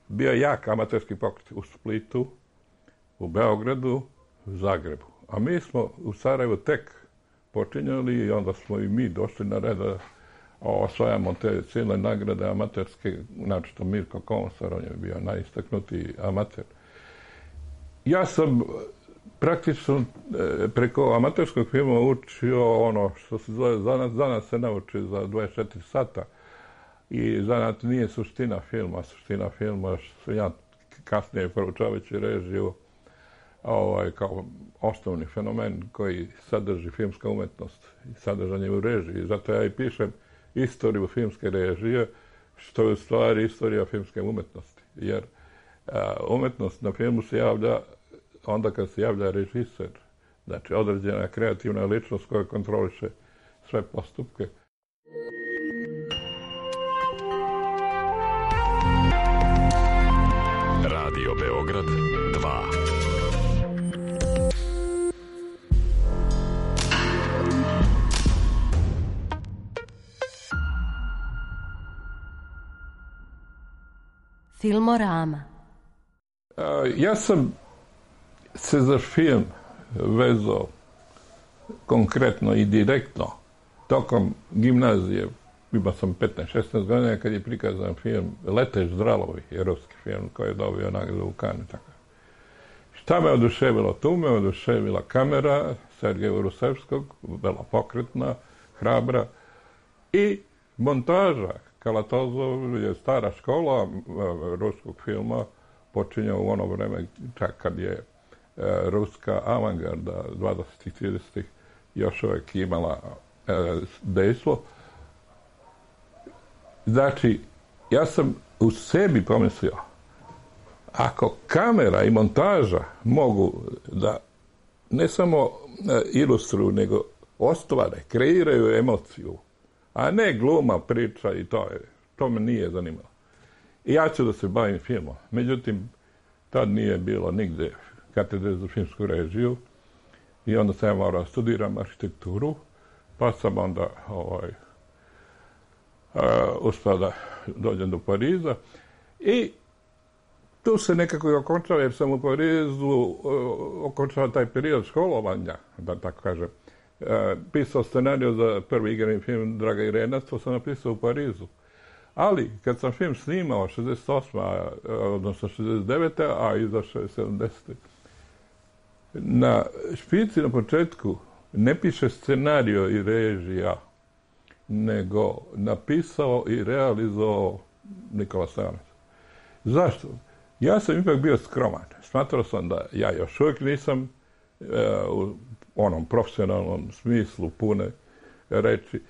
bio jak amaterski pokret u Splitu, u Beogradu, u Zagrebu. A mi smo u Sarajevu tek počinjali i onda smo i mi došli na red da osvajamo te cijele nagrade amaterske, znači Mirko Komsar, on je bio najistaknutiji amater. Ja sam praktično preko amaterskog filma učio ono što se zove zanat se nauči za 24 sata i zanat nije suština filma. Suština filma što ja kasnije proučavajući režiju kao osnovni fenomen koji sadrži filmska umetnost i sadržanje u režiji. Zato ja i pišem istoriju filmske režije, što je u stvari istorija filmske umetnosti. Jer umetnost na filmu se javlja onda kad se javlja režiser, znači određena kreativna ličnost koja kontroliše sve postupke. Radio Beograd 2. Filmorama. Ja sam se za film vezao konkretno i direktno tokom gimnazije. Imao sam 15-16 godina kad je prikazan film Leteš Zdralovi, ruski film koji je dobio nagradu u Cannesu. Šta me oduševilo? Tu me oduševila kamera Sergeja Rusevskog, vrlo pokretna, hrabra, i montaža. Kalatozov je stara škola ruskog filma, počinje u ono vreme čak kad je ruska avangarda 20-ih, 30-ih još uvijek imala dejstvo. Znači, ja sam u sebi pomislio, ako kamera i montaža mogu da ne samo ilustruju, nego ostvare, kreiraju emociju, a ne gluma, priča i to me nije zanimalo. I ja ću da se bavim filmom. Međutim, tad nije bilo nigde katedre za filmsku režiju i onda sam ja morao studiram arhitekturu, pa sam onda uspio da dođem do Pariza i tu se nekako i okončao, jer sam u Parizu okončao taj period školovanja, da tako kažem. Pisao scenariju za prvi igrani film Draga Irena, to sam napisao u Parizu. Ali, kad sam film snimao 68. odnosno 69. a izašao je 70. Na špici na početku ne piše scenario i režija, nego napisao i realizovao Nikola Stojanović. Zašto? Ja sam ipak bio skroman. Smatrao sam da ja još uvijek nisam u onom profesionalnom smislu pune reči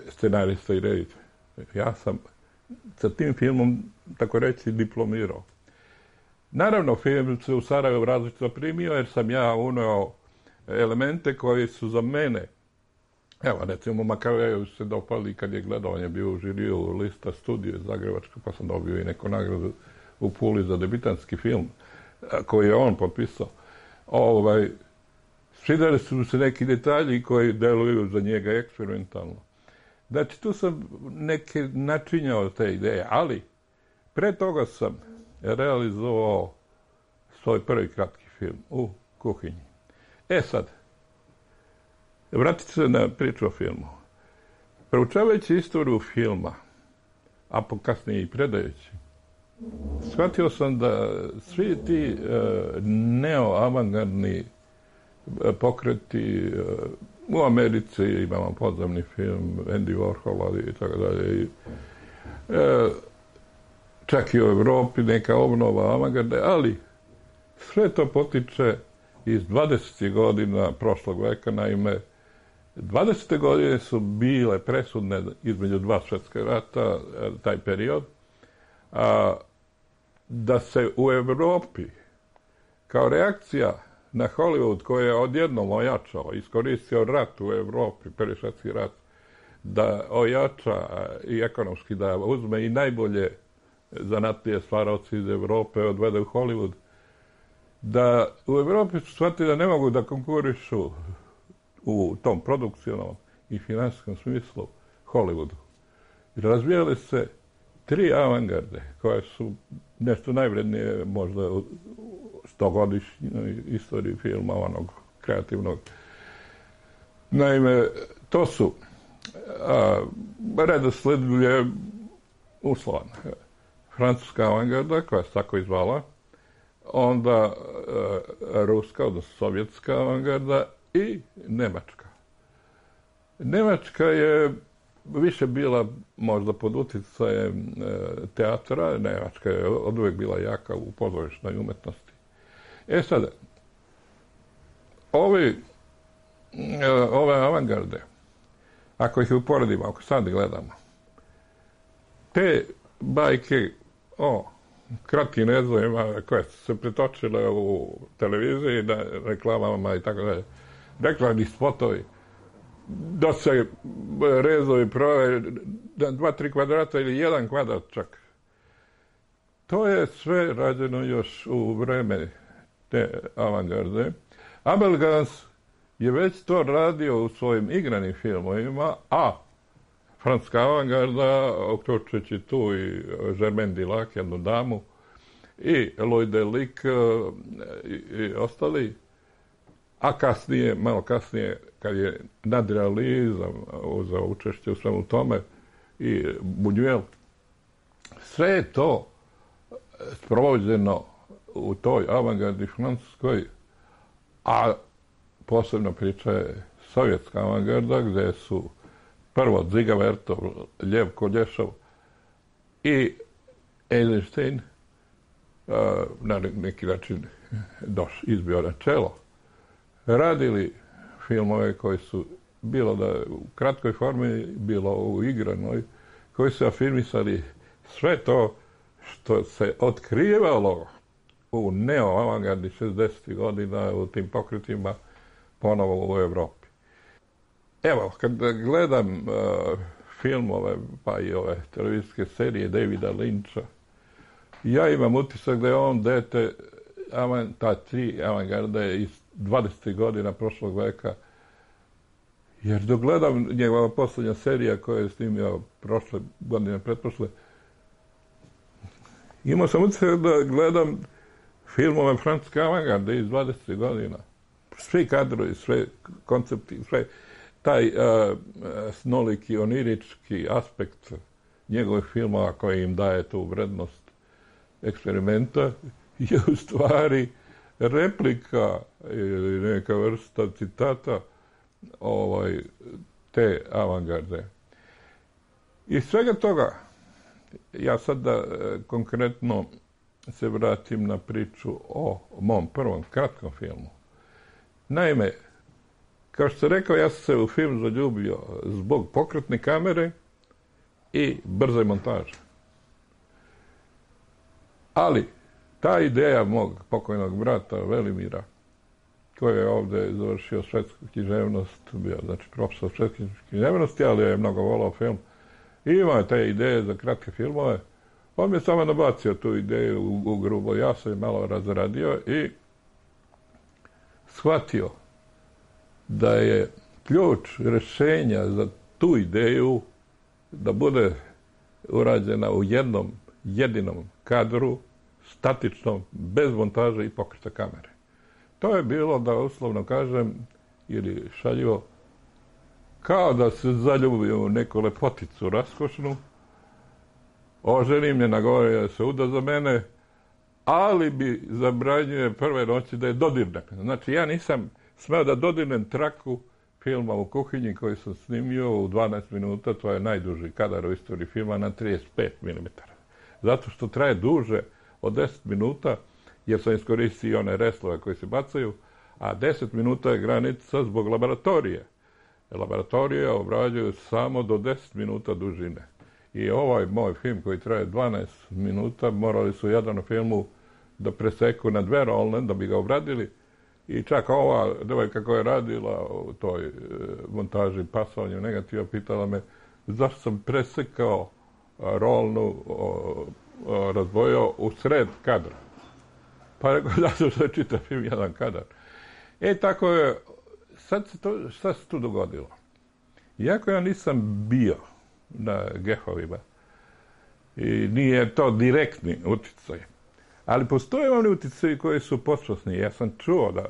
scenarista i reditelj. Ja sam sa tim filmom, tako reći, diplomirao. Naravno, film se u Sarajevu različito primio, jer sam ja uneo elemente koji su za mene, evo, recimo, Makavejevu se dopali kad je gledao, on je bio u žiriju lista studije Zagrebačka, pa sam dobio i neku nagradu u Puli za debitanski film, koji je on potpisao. Svidjeli su se neki detalji koji deluju za njega eksperimentalno. Znači, tu sam neke načinjao te ideje, ali pre toga sam realizovao svoj prvi kratki film u kuhinji. Sad, vratit se na priču o filmu. Proučavajući istoriju filma, a kasnije i predajući, shvatio sam da svi ti neoavangardni pokreti u Americi, imamo podzemni film Andy Warhola i tako dalje, čak i u Evropi neka obnova avangarde, ali sve to potiče iz 20. godina prošlog veka. Naime, 20. godine su bile presudne između dva svjetska rata, taj period, a da se u Evropi kao reakcija na Hollywood koji je odjednom ojačao, iskoristio rat u Evropi, Prvi svjetski rat, da ojača i ekonomski, da uzme i najbolje zanatlije stvaraoci iz Evrope, odvede u Hollywood, da u Evropi su shvatili da ne mogu da konkurišu u tom produkcionalnom i finansijskom smislu Hollywoodu. I razvijali se 3 avangarde koje su nešto najvrednije možda u 100-godišnjoj istoriji filma, onog kreativnog. Naime, to su redosled je uslovan. Francuska avangarda, koja se tako izvala, onda ruska, odnosno sovjetska avangarda i nemačka. Nemačka je više bila možda pod uticajem teatra, Nemačka je oduvijek bila jaka u pozorišnoj umetnosti. Sada, ove avangarde, ako ih uporedimo, ako sad gledamo, te bajke o kratkim rezovima koje su se pretočile u televiziji, na reklamama i tako dalje, reklamni spotovi, da se rezovi prave 2-3 kvadrata ili 1 kvadrat čak. To je sve rađeno još u vreme te avangarde. Abel Gans je već to radio u svojim igranim filmovima, a francuska avangarda, uključujući tu i Germaine Dulac, jednu damu, i Louis Delic i ostali, a kasnije, malo kasnije, kad je nadrealizam uzeo učešće u svemu tome, i Buñuel, sve je to sprovođeno u toj avangardi francuskoj, a posebna priča je sovjetska avangarda, gde su prvo Dziga Vertov, Ljev Kolješov i Eisenstein na neki način izbio na čelo, radili filmove koji su, bilo da u kratkoj formi, bilo u igranoj, koji su afirmisali sve to što se otkrivalo u neo-avangardi 60. godina u tim pokretima ponovo u Evropi. Evo, kad gledam filmove, pa i ove televizijske serije Davida Lyncha, ja imam utisak da je on dete ta 3 avangarde iz 20. godina prošlog veka, jer dok gledam njegova poslednja serija koja je snimio prošle godine, pretprošle, imao sam utisak da gledam filmove francuske avangarde iz 20. godina. Svi kadrovi, sve koncepti, sve taj snoliki, onirički aspekt njegovih filmova koji im daje tu vrednost eksperimenta je u stvari replika ili neka vrsta citata te avangarde. Iz svega toga, ja sad da konkretno se vratim na priču o mom prvom kratkom filmu. Naime, kao što sam rekao, ja sam se u film zaljubio zbog pokretne kamere i brze montaže. Ali, ta ideja mog pokojnog brata Velimira, koji je ovde završio svetsku književnost, bio znači profesor svetske književnosti, ali je mnogo volao film, i imao te ideje za kratke filmove. On mi je samo nabacio tu ideju u grubo, ja sam je malo razradio i shvatio da je ključ rešenja za tu ideju da bude urađena u jednom jedinom kadru, statičnom, bez montaže i pokreta kamere. To je bilo, da uslovno kažem, ili šaljivo, kao da se zaljubio u neku lepoticu raskošnu, oženim je nagovorio da se uda za mene, ali bi zabranjuje prve noći da je dodirnem. Znači, ja nisam smeo da dodirnem traku filma u kuhinji koji sam snimio u 12 minuta, to je najduži kadar u istoriji filma, na 35 mm. Zato što traje duže od 10 minuta, jer sam iskoristio one reslove koji se bacaju, a 10 minuta je granica zbog laboratorije. Laboratorije obrađuju samo do 10 minuta dužine. I ovaj moj film koji traje 12 minuta, morali su jedan u filmu da preseku na 2 rolne da bi ga obradili. I čak ova devojka koja je radila u toj montaži pasovanju negativa pitala me zašto sam presekao rolnu, razdvojio u sred kadra. Pa rekao, zato što je čitav film jedan kadar. Tako je, šta se tu dogodilo? Iako ja nisam bio na Gefovima i nije to direktni utjecaj, ali postoje oni utjecaji koji su podsvjesni. Ja sam čuo da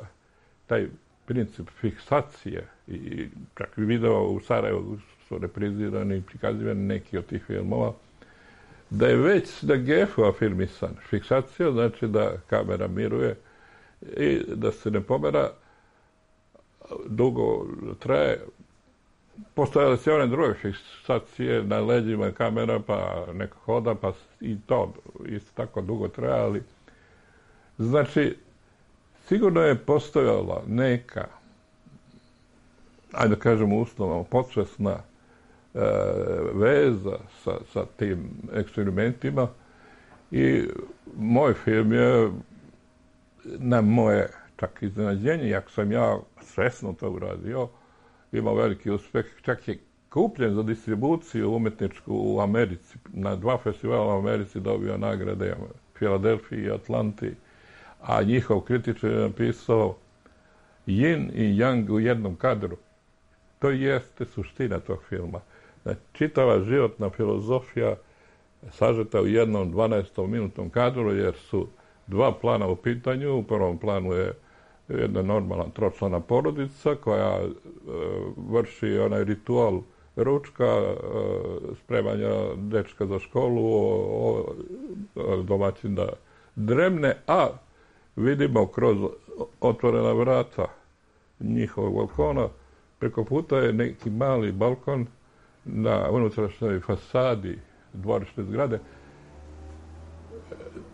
taj princip fiksacije i čak i video u Sarajevu su reprizirani i prikazivani neki od tih filmova, da je već da Gefo afirmisan. Fiksacija znači da kamera miruje i da se ne pomera, dugo traje. Postojale se one druge fiksacije na leđima kamera, pa neko hoda, pa i to isto tako dugo traje, ali znači, sigurno je postojala neka, ajde da kažemo uslovno, podsvesna veza sa tim eksperimentima i moj film je na moje čak iznenađenje, iako sam ja svesno to uradio, imao veliki uspeh, čak je kupljen za distribuciju umetničku u Americi, na 2 festivala u Americi dobio nagrade Filadelfiji i Atlanti, a njihov kritičar je napisao Yin i Yang u jednom kadru. To jeste suština tog filma. Znači, čitava životna filozofija sažeta u jednom 12-minutnom kadru, jer su 2 plana u pitanju. U prvom planu je jedna normalna tročlana porodica koja vrši onaj ritual ručka, spremanja dečka za školu, domaćin da dremne, a vidimo kroz otvorena vrata njihovog balkona, preko puta je neki mali balkon na unutrašnjoj fasadi dvorišne zgrade,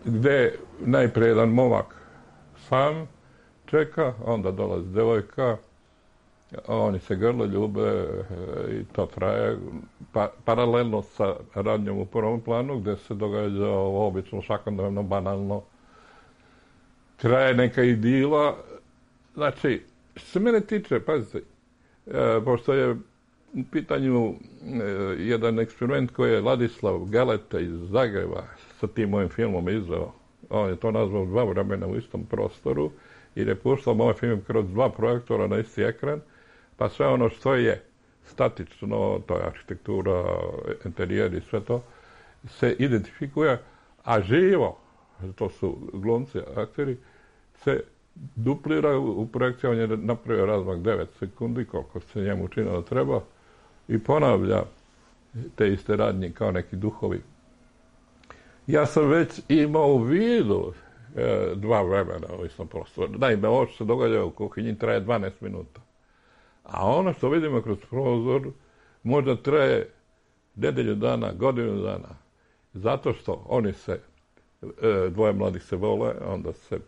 gde najprije jedan momak sam čeka, onda dolazi devojka, oni se grle, ljube i to traje paralelno sa radnjom u prvom planu, gde se događa obično, svakodnevno, banalno. Traje neka idila. Znači, što se mene tiče, pazite, pošto je u pitanju jedan eksperiment koji je Ladislav Galeta iz Zagreba sa tim mojim filmom izveo. On je to nazvao 2 vremena u istom prostoru i je puštao moj film kroz 2 projektora na isti ekran, pa sve ono što je statično, to je arhitektura, interijer i sve to, se identifikuje, a živo, to su glumci, akteri, se duplira u projekciji. On je napravio razmak 9 sekundi, koliko se njemu učinilo da treba, i ponavlja te iste radnje kao neki duhovi. Ja sam već imao u vidu 2 vremena u istom prostoru. Naime, ovo što se događa u kuhinji traje 12 minuta. A ono što vidimo kroz prozor možda traje nedelju dana, godinu dana. Zato što oni se, 2 mladih se vole, onda se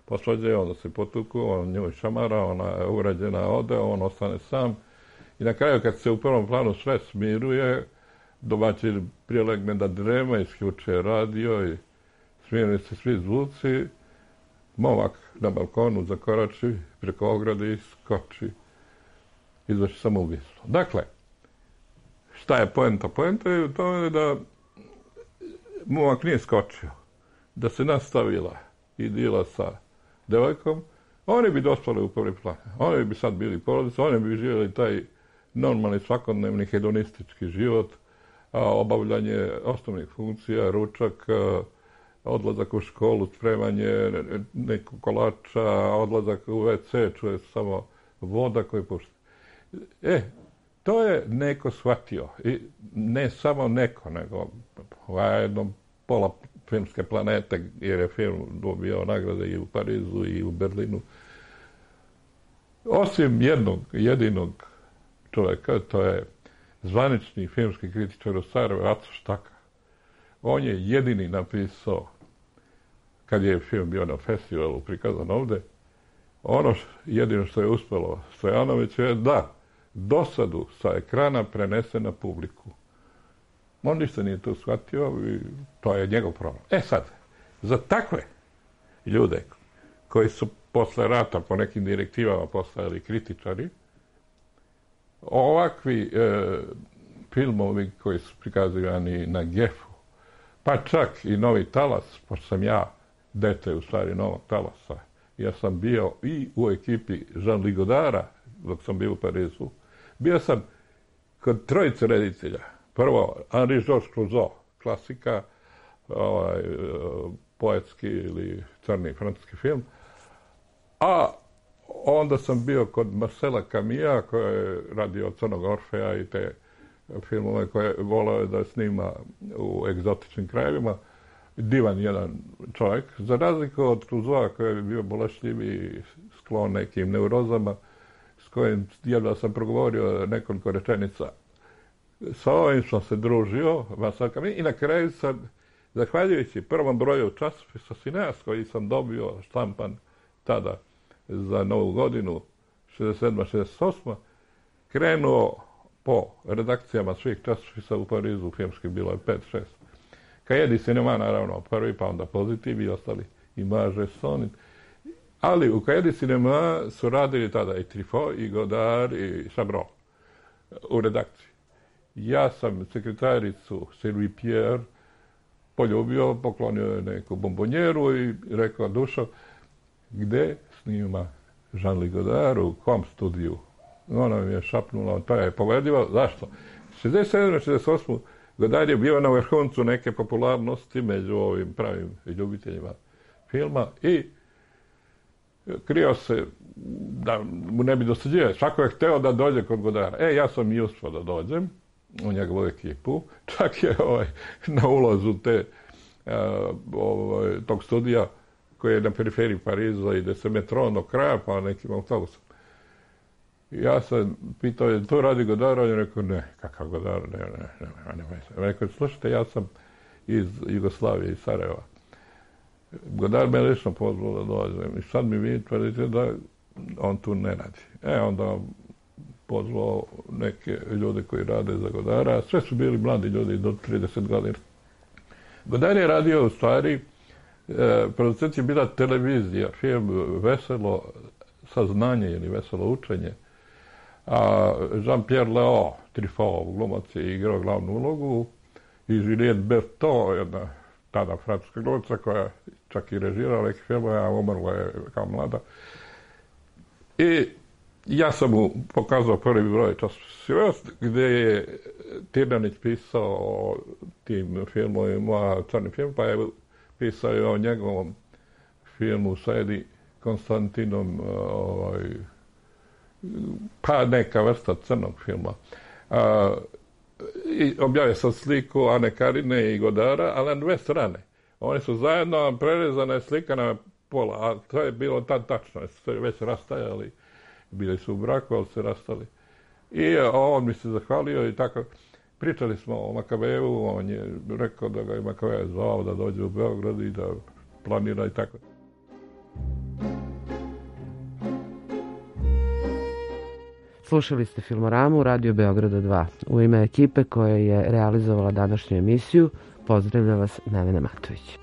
posvađaju, onda se potuku, on nju šamara, ona je urađena, ode, on ostane sam. I na kraju, kad se u prvom planu sve smiruje, domaćin prilegne da drema, isključuje radio i smiruje se svi zvuci, momak na balkonu zakorači preko ograde i skoči, izvrši samoubistvo. Dakle, šta je poenta? Poenta je u tome da momak nije skočio, da se nastavila idila sa devojkom, oni bi dospali u prvi plan. Oni bi sad bili porodica, oni bi živjeli taj normalni svakodnevni hedonistički život, obavljanje osnovnih funkcija, ručak, odlazak u školu, spremanje nekog kolača, odlazak u WC, čuje samo voda koju pušta. To je neko shvatio. I ne samo neko, nego jedno pola filmske planete, jer je film dobio nagrade i u Parizu i u Berlinu. Osim jednog, jedinog čovjeka, to je zvanični filmski kritičar u Sarajevu, Aco Štaka. On je jedini napisao, kad je film bio na festivalu prikazan ovde, ono jedino što je uspelo Stojanoviću je da dosadu sa ekrana prenese na publiku. On ništa nije to shvatio i to je njegov problem. Sad, za takve ljude koji su posle rata po nekim direktivama postali kritičari, ovakvi filmovi koji su prikazivani na GEF-u, pa čak i Novi talas, pošto sam ja dete u stvari Novog talasa, ja sam bio i u ekipi Jean-Louis Godara dok sam bio u Parizu, bio sam kod trojice reditelja. Prvo, Henri-Georges Clouzot, klasika, poetski ili crni francuski film, a onda sam bio kod Marcela Camilla, koji je radio Crnog Orfeja i te filmove koje volao da snima u egzotičnim krajevima. Divan jedan čovjek, za razliku od Clouzota koji je bio bolešljiv i sklon nekim neurozama, s kojim jedva sam progovorio nekoliko rečenica. Sa ovim sam se družio, Marcel Camilla, i na kraju sam, zahvaljujući prvom broju časopisa Cineas, koji sam dobio štampan tada za Novu godinu, 67-68, krenuo po redakcijama svih časopisa u Parizu, filmski bilo je 5-6. Cahiers du Cinéma, naravno, prvi, pa onda Pozitiv i ostali, Image, Sonit. Ali u Cahiers du Cinéma su radili tada i Truffaut, i Godard, i Chabrol u redakciji. Ja sam sekretaricu Sylvie Pierre poljubio, poklonio je neku bombonjeru i rekao, Dušo, gde snima Jean-Louis Godard, u kom studiju? Ona mi je šapnula, to je povedljivo. Zašto? 67-68 Godard je bio na vrhuncu neke popularnosti među ovim pravim ljubiteljima filma i krio se da mu ne bi dosađivao. Svako je hteo da dođe kod Godara. Ja sam i uspio da dođem u njegovu ekipu. Čak je na ulazu tog studija koji je na periferiji Pariza i gde se metro do kraja pa nekim autobusom. Ja sam pitao, je to radi Godard? On je rekao, ne, kakav Godard, ne. Rekao, slušajte, ja sam iz Jugoslavije, iz Sarajeva. Godard me lično pozvao da dođem i sad mi vi tvrdite da on tu ne radi. Onda pozvao neke ljude koji rade za Godara, sve su bili mladi ljudi do 30 godina. Godard je radio u stvari, producent je bila televizija, film Veselo saznanje ili Veselo učenje, a Jean-Pierre Léaud, Truffaut, glumac, je igrao glavnu ulogu i Juliette Bertot, jedna tada francuska glumica koja čak i režirala neki film, a umrla je kao mlada. I ja sam mu pokazao prvi broj časopisa gde je Tirnanić pisao o tim filmovima, crni film, pa je pisao i o njegovom filmu sa Edi Konstantinom, pa neka vrsta crnog filma. I objavio sam sliku Ane Karine i Godara, ali na dve strane. Oni su zajedno, prerezana je slika na pola, a to je bilo tad tačno, su se već rastajali, bili su u braku, ali se rastali. I on mi se zahvalio i tako. Pričali smo o Makaveju, on je rekao da ga je Makaveja zvao da dođe u Beograd i da planira i tako. Slušali ste Filmoramu Radio Beograda 2. U ime ekipe koja je realizovala današnju emisiju, pozdravlja vas Nevena Matović.